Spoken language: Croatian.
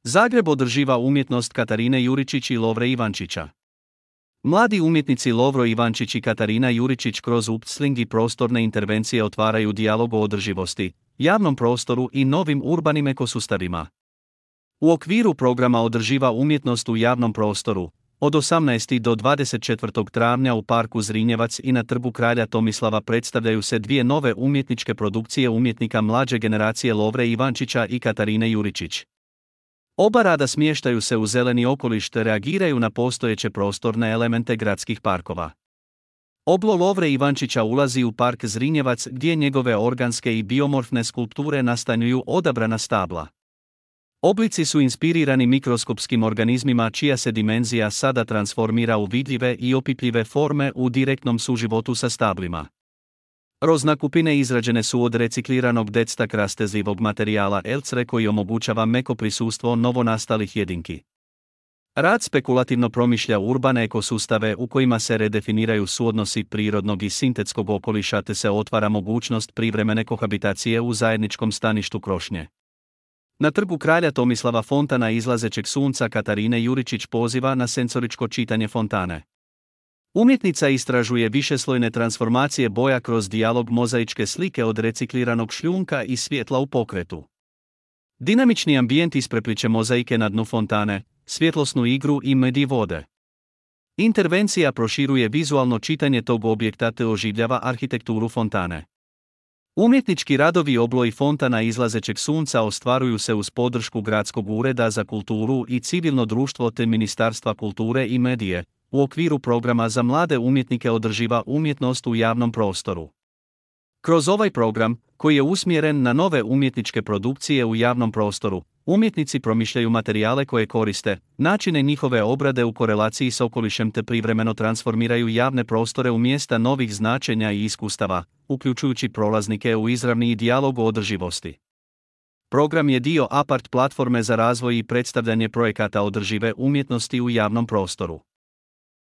Zagreb održiva umjetnost Katarine Juričić i Lovre Ivančića. Mladi umjetnici Lovro Ivančić i Katarina Juričić kroz upsling i prostorne intervencije otvaraju dijalog o održivosti, javnom prostoru i novim urbanim ekosustavima. U okviru programa Održiva umjetnost u javnom prostoru, od 18. do 24. travnja u parku Zrinjevac i na trgu Kralja Tomislava predstavljaju se dvije nove umjetničke produkcije umjetnika mlađe generacije Lovre Ivančića i Katarine Juričić. Oba rada smještaju se u zeleni okoliš te reagiraju na postojeće prostorne elemente gradskih parkova. Oblo Lovre Ivančića ulazi u park Zrinjevac gdje njegove organske i biomorfne skulpture nastanjuju odabrana stabla. Oblici su inspirirani mikroskopskim organizmima čija se dimenzija sada transformira u vidljive i opipljive forme u direktnom suživotu sa stablima. Roznakupine izrađene su od recikliranog dectak rastezljivog materijala elcre koji omogućava meko prisustvo novonastalih jedinki. Rad spekulativno promišlja urbane ekosustave u kojima se redefiniraju suodnosi prirodnog i sintetskog okoliša te se otvara mogućnost privremene kohabitacije u zajedničkom staništu krošnje. Na trgu Kralja Tomislava fontana izlazećeg sunca Katarine Juričić poziva na senzoričko čitanje fontane. Umjetnica istražuje višeslojne transformacije boja kroz dijalog mozaičke slike od recikliranog šljunka i svjetla u pokretu. Dinamični ambijent isprepliče mozaike na dnu fontane, svjetlosnu igru i medij vode. Intervencija proširuje vizualno čitanje tog objekta te oživljava arhitekturu fontane. Umjetnički radovi oblo i fontana izlazećeg sunca ostvaruju se uz podršku Gradskog ureda za kulturu i civilno društvo te Ministarstva kulture i medije, u okviru programa za mlade umjetnike Održiva umjetnost u javnom prostoru. Kroz ovaj program, koji je usmjeren na nove umjetničke produkcije u javnom prostoru, umjetnici promišljaju materijale koje koriste, načine njihove obrade u korelaciji s okolišem te privremeno transformiraju javne prostore u mjesta novih značenja i iskustava, uključujući prolaznike u izravni dijalog o održivosti. Program je dio APART platforme za razvoj i predstavljanje projekata održive umjetnosti u javnom prostoru.